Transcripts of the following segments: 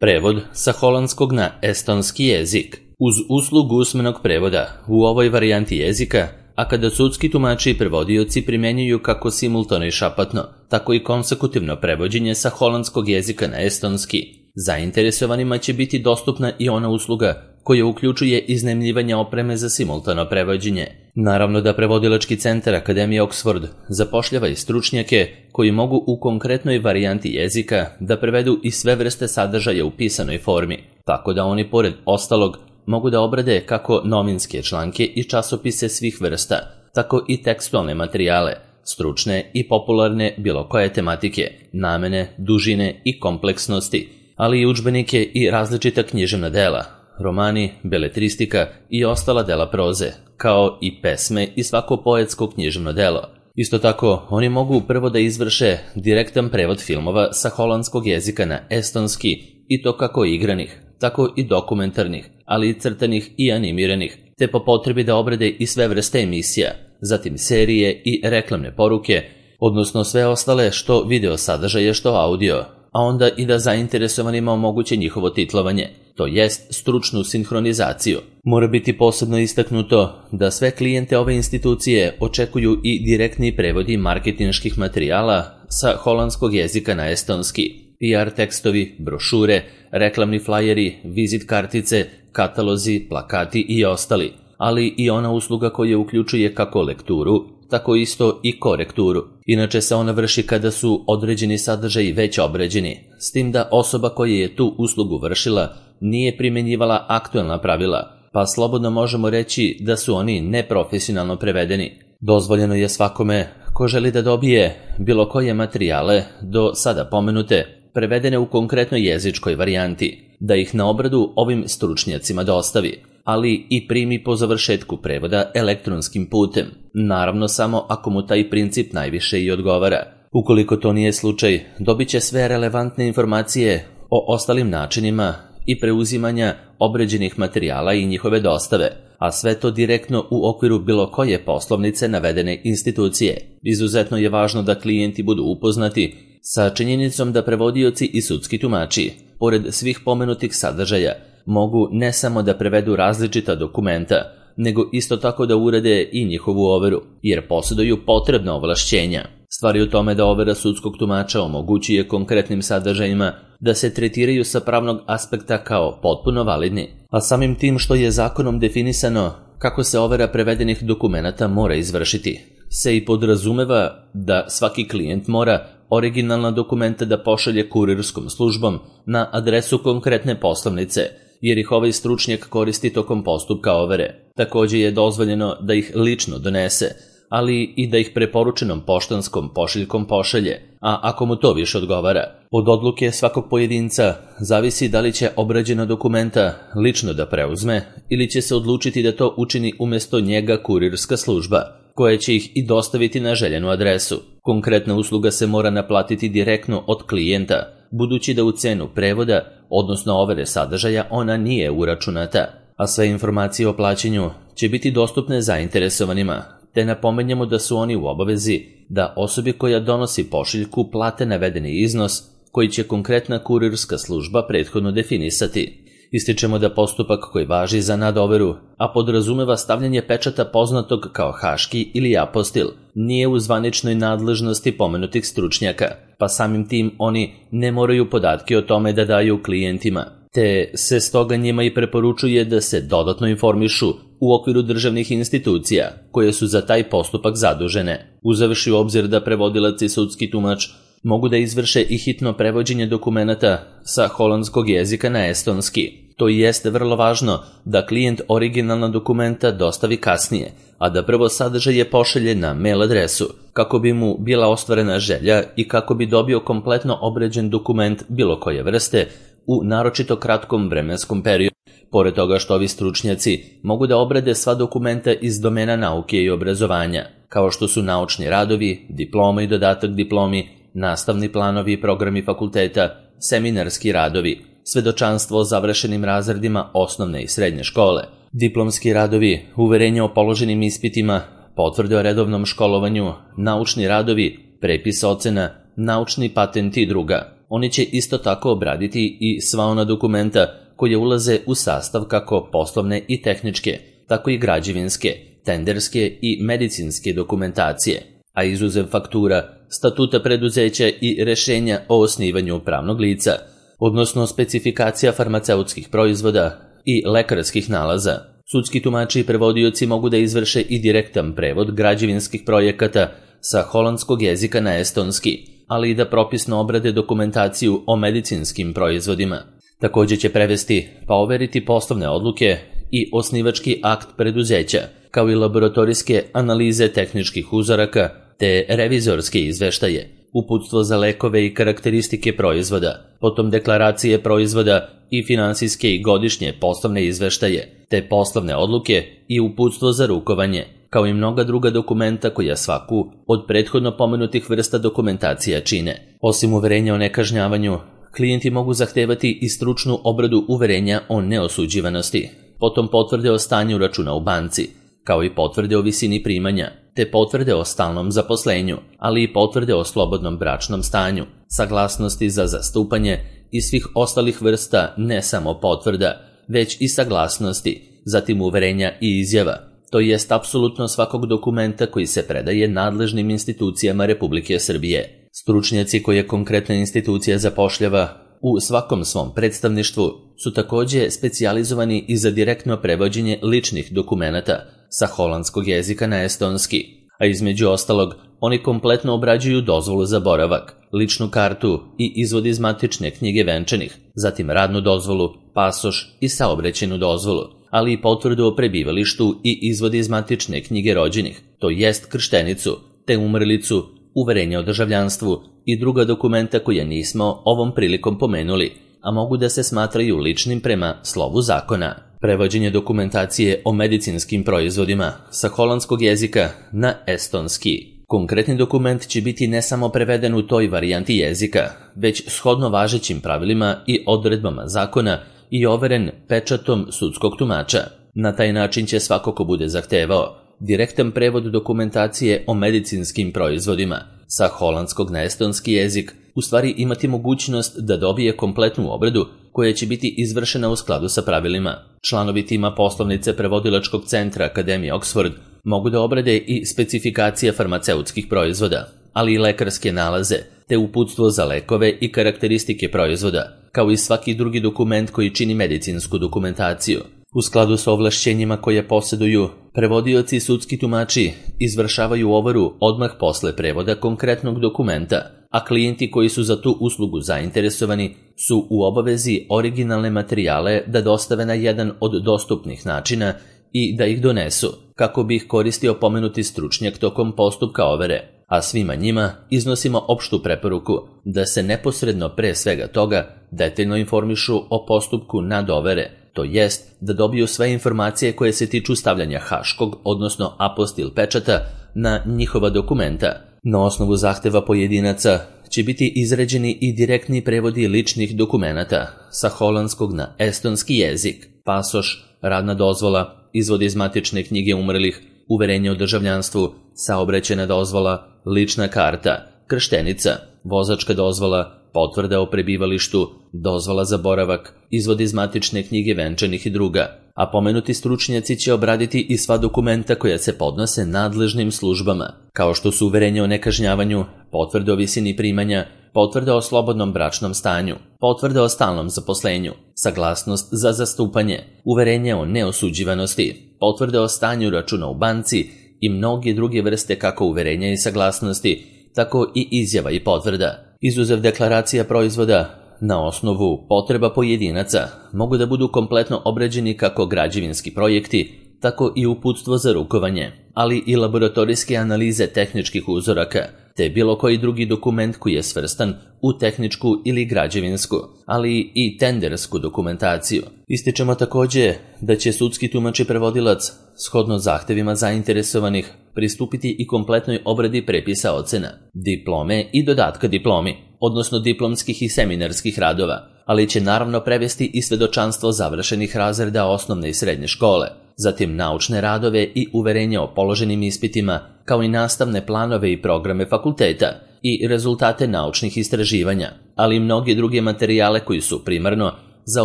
Prevod sa holandskog na estonski jezik. Uz uslugu usmenog prevoda u ovoj varijanti jezika, a kada sudski tumači i prevodioci primjenjuju kako simultano i šapatno, tako i konsekutivno prevođenje sa holandskog jezika na estonski, zainteresovanima će biti dostupna i ona usluga koja uključuje iznajmljivanje opreme za simultano prevođenje. Naravno da prevodilački centar Akademije Oxford zapošljava i stručnjake koji mogu u konkretnoj varijanti jezika da prevedu i sve vrste sadržaja u pisanoj formi, tako da oni pored ostalog mogu da obrade kako novinske članke i časopise svih vrsta, tako i tekstualne materijale, stručne i popularne bilo koje tematike, namene, dužine i kompleksnosti, ali i udžbenike i različita književna dela, romani, beletristika i ostala dela proze, kao i pesme i svako poetsko književno delo. Isto tako, oni mogu prvo da izvrše direktan prevod filmova sa holandskog jezika na estonski, i to kako igranih, tako i dokumentarnih, ali i crtanih i animiranih, te po potrebi da obrade i sve vrste emisija, zatim serije i reklamne poruke, odnosno sve ostale što video sadržaje, što audio, a onda i da zainteresovanima omoguće njihovo titlovanje, to jest stručnu sinhronizaciju. Mora biti posebno istaknuto da sve klijente ove institucije očekuju i direktni prevodi marketinških materijala sa holandskog jezika na estonski, PR tekstovi, brošure, reklamni flajeri, vizit kartice, katalozi, plakati i ostali, ali i ona usluga koja uključuje kako lekturu, tako isto i korekturu. Inače se ona vrši kada su određeni sadržaji već obrađeni, s tim da osoba koja je tu uslugu vršila nije primjenjivala aktuelna pravila, pa slobodno možemo reći da su oni neprofesionalno prevedeni. Dozvoljeno je svakome ko želi da dobije bilo koje materijale do sada pomenute, prevedene u konkretnoj jezičkoj varijanti, da ih na obradu ovim stručnjacima dostavi, ali i primi po završetku prevoda elektronskim putem, naravno samo ako mu taj princip najviše i odgovara. Ukoliko to nije slučaj, dobit će sve relevantne informacije o ostalim načinima i preuzimanja obrađenih materijala i njihove dostave, a sve to direktno u okviru bilo koje poslovnice navedene institucije. Izuzetno je važno da klijenti budu upoznati sa činjenicom da prevodioci i sudski tumači, pored svih pomenutih sadržaja, mogu ne samo da prevedu različita dokumenta, nego isto tako da urade i njihovu overu, jer posjeduju potrebna ovlašćenja. Stvar je u tome da overa sudskog tumača omogućuje konkretnim sadržajima da se tretiraju sa pravnog aspekta kao potpuno validni, a samim tim što je zakonom definisano kako se overa prevedenih dokumenata mora izvršiti, se i podrazumeva da svaki klijent mora originalna dokumenta da pošalje kurirskom službom na adresu konkretne poslovnice, jer ih ovaj stručnjak koristi tokom postupka overe. Također je dozvoljeno da ih lično donese, ali i da ih preporučenom poštanskom pošiljkom pošalje, a ako mu to više odgovara. Od odluke svakog pojedinca zavisi da li će obrađena dokumenta lično da preuzme ili će se odlučiti da to učini umjesto njega kurirska služba, koja će ih i dostaviti na željenu adresu. Konkretna usluga se mora naplatiti direktno od klijenta, budući da u cenu prevoda, odnosno overe sadržaja, ona nije uračunata, a sve informacije o plaćanju će biti dostupne zainteresovanima, te napomenjamo da su oni u obavezi da osobi koja donosi pošiljku plate navedeni iznos koji će konkretna kurirska služba prethodno definisati. Ističemo da postupak koji važi za nadoveru, a podrazumeva stavljanje pečata poznatog kao haški ili apostil, nije u zvaničnoj nadležnosti pomenutih stručnjaka, pa samim tim oni ne moraju podatke o tome da daju klijentima, te se stoga njima i preporučuje da se dodatno informišu u okviru državnih institucija koje su za taj postupak zadužene. Uzevši u obzir da prevodilac i sudski tumač mogu da izvrše i hitno prevođenje dokumenata sa holandskog jezika na estonski. To jeste vrlo važno da klijent originalna dokumenta dostavi kasnije, a da prvo sadržaje pošalje na mail adresu, kako bi mu bila ostvarena želja i kako bi dobio kompletno obrađen dokument bilo koje vrste u naročito kratkom vremenskom periodu. Pored toga što ovi stručnjaci mogu da obrade sva dokumenta iz domena nauke i obrazovanja, kao što su naučni radovi, diploma i dodatak diplomi, nastavni planovi i programi fakulteta, seminarski radovi, svedočanstvo o završenim razredima osnovne i srednje škole, diplomski radovi, uverenje o položenim ispitima, potvrde o redovnom školovanju, naučni radovi, prepis ocena, naučni patent i druga. Oni će isto tako obraditi i sva ona dokumenta koje ulaze u sastav kako poslovne i tehničke, tako i građevinske, tenderske i medicinske dokumentacije, a izuzev faktura, statuta preduzeća i rešenja o osnivanju pravnog lica, odnosno specifikacija farmaceutskih proizvoda i lekarskih nalaza. Sudski tumači i prevodioci mogu da izvrše i direktan prevod građevinskih projekata sa holandskog jezika na estonski, ali i da propisno obrade dokumentaciju o medicinskim proizvodima. Također će prevesti pa overiti poslovne odluke i osnivački akt preduzeća, kao i laboratorijske analize tehničkih uzoraka te revizorske izveštaje, uputstvo za lekove i karakteristike proizvoda, potom deklaracije proizvoda i finansijske i godišnje poslovne izveštaje, te poslovne odluke i uputstvo za rukovanje, kao i mnoga druga dokumenta koja svaku od prethodno pomenutih vrsta dokumentacija čine. Osim uverenja o nekažnjavanju, klijenti mogu zahtevati i stručnu obradu uverenja o neosuđivanosti, potom potvrde o stanju računa u banci, kao i potvrde o visini primanja, te potvrde o stalnom zaposlenju, ali i potvrde o slobodnom bračnom stanju, saglasnosti za zastupanje i svih ostalih vrsta ne samo potvrda, već i saglasnosti, zatim uverenja i izjava, to jest apsolutno svakog dokumenta koji se predaje nadležnim institucijama Republike Srbije. Stručnjaci koje konkretna institucija zapošljava u svakom svom predstavništvu su također specijalizovani i za direktno prevođenje ličnih dokumenata sa holandskog jezika na estonski, a između ostalog oni kompletno obrađuju dozvolu za boravak, ličnu kartu i izvod iz matične knjige venčanih, zatim radnu dozvolu, pasoš i saobraćajnu dozvolu, ali i potvrdu o prebivalištu i izvod iz matične knjige rođenih, to jest krštenicu, te umrlicu, uverenje o državljanstvu i druga dokumenta koja nismo ovom prilikom pomenuli, a mogu da se smatraju ličnim prema slovu zakona. Prevođenje dokumentacije o medicinskim proizvodima sa holandskog jezika na estonski. Konkretni dokument će biti ne samo preveden u toj varijanti jezika, već shodno važećim pravilima i odredbama zakona i overen pečatom sudskog tumača. Na taj način će svako ko bude zahtevao direktan prevod dokumentacije o medicinskim proizvodima sa holandskog na estonski jezik u stvari imati mogućnost da dobije kompletnu obradu koja će biti izvršena u skladu sa pravilima. Članovi tima poslovnice prevodilačkog centra Akademije Oxford mogu da obrade i specifikacije farmaceutskih proizvoda, ali i lekarske nalaze, te uputstvo za lekove i karakteristike proizvoda, kao i svaki drugi dokument koji čini medicinsku dokumentaciju. U skladu sa ovlašćenjima koje posjeduju, prevodioci i sudski tumači izvršavaju overu odmah posle prevoda konkretnog dokumenta, a klijenti koji su za tu uslugu zainteresovani su u obavezi originalne materijale da dostave na jedan od dostupnih načina i da ih donesu, kako bi ih koristio pomenuti stručnjak tokom postupka overe, a svima njima iznosimo opštu preporuku da se neposredno pre svega toga detaljno informišu o postupku nadovere, to jest da dobiju sve informacije koje se tiču stavljanja haškog, odnosno apostil pečata na njihova dokumenta. Na osnovu zahteva pojedinaca će biti izrađeni i direktni prevodi ličnih dokumenata sa holandskog na estonski jezik, pasoš, radna dozvola, izvod iz matične knjige umrlih, uverenje o državljanstvu, saobraćajna dozvola, lična karta, krštenica, vozačka dozvola, potvrda o prebivalištu, dozvola za boravak, izvod iz matične knjige venčanih i druga, a pomenuti stručnjaci će obraditi i sva dokumenta koja se podnose nadležnim službama, kao što su uverenje o nekažnjavanju, potvrde o visini primanja, potvrda o slobodnom bračnom stanju, potvrda o stalnom zaposlenju, saglasnost za zastupanje, uverenje o neosuđivanosti, potvrda o stanju računa u banci i mnoge druge vrste kako uverenja i saglasnosti, tako i izjava i potvrda. Izuzev deklaracija proizvoda, na osnovu potreba pojedinaca, mogu da budu kompletno obrađeni kako građevinski projekti, tako i uputstvo za rukovanje, ali i laboratorijske analize tehničkih uzoraka, te bilo koji drugi dokument koji je svrstan u tehničku ili građevinsku, ali i tendersku dokumentaciju. Ističemo također da će sudski tumač i prevodilac, shodno zahtevima zainteresovanih, pristupiti i kompletnoj obradi prepisa ocena, diplome i dodatka diplomi, odnosno diplomskih i seminarskih radova, ali će naravno prevesti i svedočanstvo završenih razreda osnovne i srednje škole, zatim naučne radove i uverenja o položenim ispitima, kao i nastavne planove i programe fakulteta, i rezultate naučnih istraživanja, ali i mnoge druge materijale koji su primarno za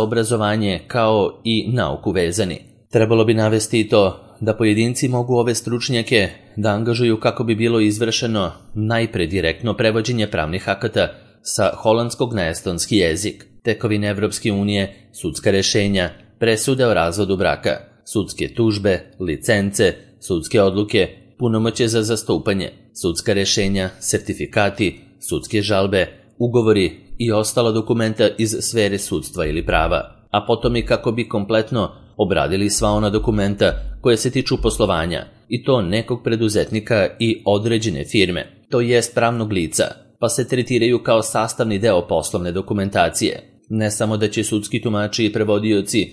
obrazovanje kao i nauku vezani. Trebalo bi navesti i to da pojedinci mogu ove stručnjake da angažuju kako bi bilo izvršeno najpre direktno prevođenje pravnih akata sa holandskog na estonski jezik, tekovine Evropske unije, sudska rešenja, presude o razvodu braka, sudske tužbe, licence, sudske odluke, punomoćje za zastupanje, sudska rešenja, sertifikati, sudske žalbe, ugovori i ostala dokumenta iz sfere sudstva ili prava, a potom i kako bi kompletno obradili sva ona dokumenta koje se tiču poslovanja, i to nekog preduzetnika i određene firme, to jest pravnog lica, pa se tretiraju kao sastavni deo poslovne dokumentacije. Ne samo da će sudski tumači i prevodioci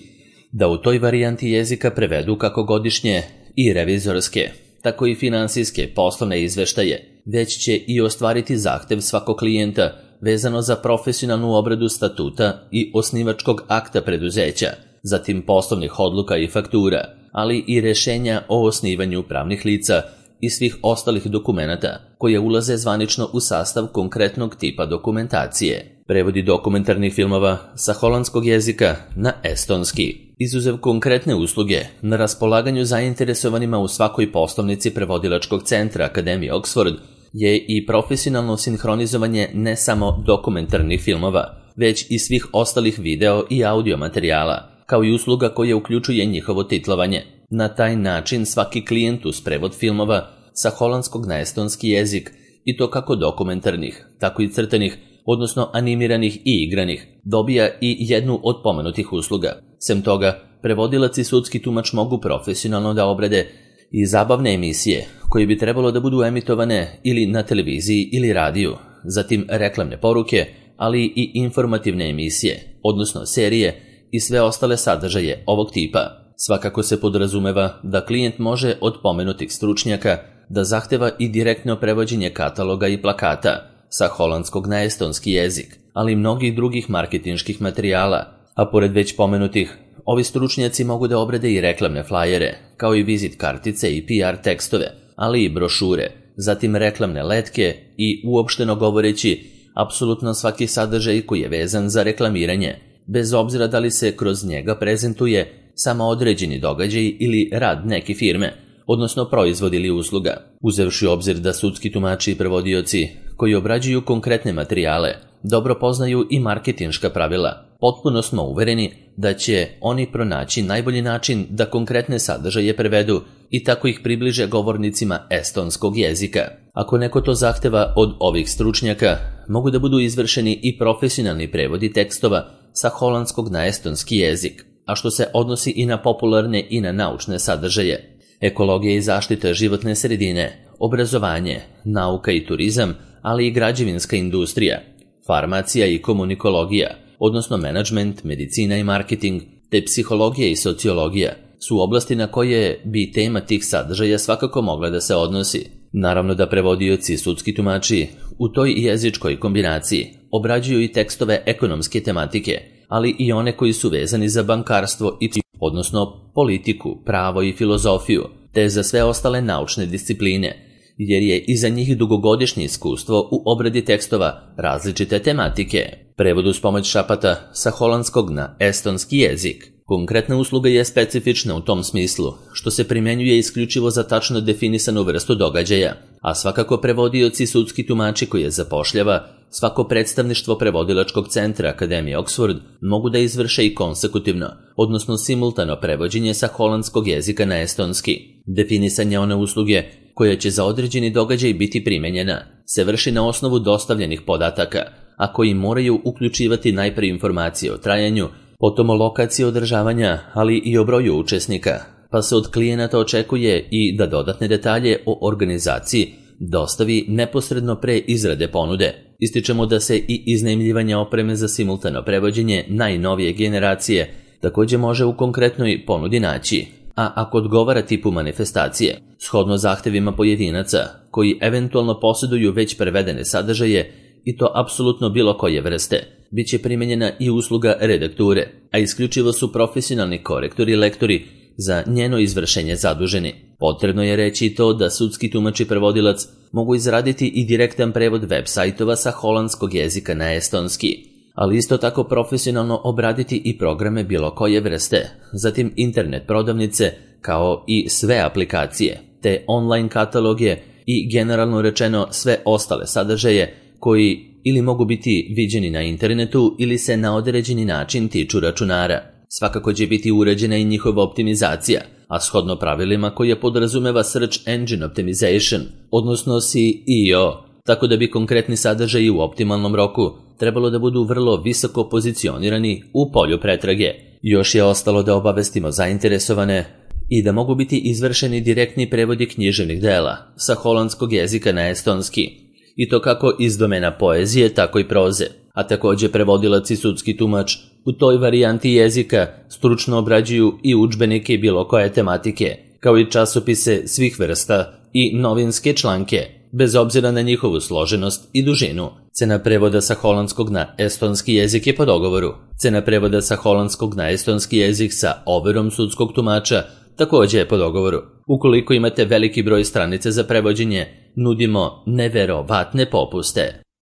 da u toj varijanti jezika prevedu kako godišnje i revizorske, tako i finansijske poslovne izveštaje, već će i ostvariti zahtev svakog klijenta vezano za profesionalnu obradu statuta i osnivačkog akta preduzeća, zatim poslovnih odluka i faktura, ali i rešenja o osnivanju pravnih lica i svih ostalih dokumenata koje ulaze zvanično u sastav konkretnog tipa dokumentacije. Prevodi dokumentarnih filmova sa holandskog jezika na estonski. Izuzev konkretne usluge na raspolaganju zainteresovanima u svakoj poslovnici prevodilačkog centra Akademije Oxford je i profesionalno sinhronizovanje ne samo dokumentarnih filmova, već i svih ostalih video i audio materijala, kao i usluga koja uključuje njihovo titlovanje. Na taj način svaki klijent uz prevod filmova sa holandskog na estonski jezik, i to kako dokumentarnih, tako i crtanih, odnosno animiranih i igranih, dobija i jednu od pomenutih usluga. Sem toga, prevodilac i sudski tumač mogu profesionalno da obrade i zabavne emisije koje bi trebalo da budu emitovane ili na televiziji ili radiju, zatim reklamne poruke, ali i informativne emisije, odnosno serije i sve ostale sadržaje ovog tipa. Svakako se podrazumeva da klijent može od pomenutih stručnjaka da zahteva i direktno prevođenje kataloga i plakata sa holandskog na estonski jezik, ali i mnogih drugih marketinških materijala, a pored već pomenutih, ovi stručnjaci mogu da obrade i reklamne flajere, kao i vizit kartice i PR tekstove, ali i brošure, zatim reklamne letke i, uopšteno govoreći, apsolutno svaki sadržaj koji je vezan za reklamiranje, bez obzira da li se kroz njega prezentuje samo određeni događaj ili rad neke firme, odnosno proizvod ili usluga. Uzevši u obzir da sudski tumači i prevodioci koji obrađuju konkretne materijale dobro poznaju i marketinška pravila, potpuno smo uvereni da će oni pronaći najbolji način da konkretne sadržaje prevedu i tako ih približe govornicima estonskog jezika. Ako neko to zahteva od ovih stručnjaka, mogu da budu izvršeni i profesionalni prevodi tekstova sa holandskog na estonski jezik, a što se odnosi i na popularne i na naučne sadržaje. Ekologija i zaštita životne sredine, obrazovanje, nauka i turizam, ali i građevinska industrija, farmacija i komunikologija, odnosno menadžment, medicina i marketing, te psihologija i sociologija su oblasti na koje bi tema tih sadržaja svakako mogla da se odnosi. Naravno da prevodioci i sudski tumači u toj jezičkoj kombinaciji obrađuju i tekstove ekonomske tematike, ali i one koji su vezani za bankarstvo i odnosno politiku, pravo i filozofiju, te za sve ostale naučne discipline, jer je iza njih dugogodišnje iskustvo u obradi tekstova različite tematike. Prevod uz pomoć šapata sa holandskog na estonski jezik. Konkretna usluga je specifična u tom smislu, što se primjenjuje isključivo za tačno definisanu vrstu događaja, a svakako prevodioci i sudski tumači koje zapošljava svako predstavništvo prevodilačkog centra Akademije Oxford mogu da izvrše i konsekutivno, odnosno simultano prevođenje sa holandskog jezika na estonski. Definisanje one usluge koja će za određeni događaj biti primenjena se vrši na osnovu dostavljenih podataka, a koji moraju uključivati najpre informacije o trajanju, potom o lokaciji održavanja, ali i o broju učesnika, pa se od klijenata očekuje i da dodatne detalje o organizaciji dostavi neposredno pre izrade ponude. Ističemo da se i iznajmljivanje opreme za simultano prevođenje najnovije generacije također može u konkretnoj ponudi naći, a ako odgovara tipu manifestacije, shodno zahtevima pojedinaca koji eventualno posjeduju već prevedene sadržaje, i to apsolutno bilo koje vrste, bit će primenjena i usluga redakture, a isključivo su profesionalni korektori i lektori za njeno izvršenje zaduženi. Potrebno je reći i to da sudski tumač i prevodilac mogu izraditi i direktan prevod web sajtova sa holandskog jezika na estonski, ali isto tako profesionalno obraditi i programe bilo koje vrste, zatim internet prodavnice kao i sve aplikacije, te online kataloge i generalno rečeno sve ostale sadržaje koji ili mogu biti viđeni na internetu ili se na određeni način tiču računara. Svakako će biti uređena i njihova optimizacija, a shodno pravilima koje podrazumeva Search Engine Optimization, odnosno SEO, tako da bi konkretni sadržaji u optimalnom roku trebalo da budu vrlo visoko pozicionirani u polju pretrage. Još je ostalo da obavestimo zainteresovane i da mogu biti izvršeni direktni prevodi književnih dela sa holandskog jezika na estonski, i to kako iz domena poezije, tako i proze, a također prevodilac i sudski tumač u toj varijanti jezika stručno obrađuju i udžbenike bilo koje tematike, kao i časopise svih vrsta i novinske članke, bez obzira na njihovu složenost i dužinu. Cena prevoda sa holandskog na estonski jezik je po dogovoru. Cena prevoda sa holandskog na estonski jezik sa overom sudskog tumača također je po dogovoru. Ukoliko imate veliki broj stranica za prevođenje, nudimo neverovatne popuste.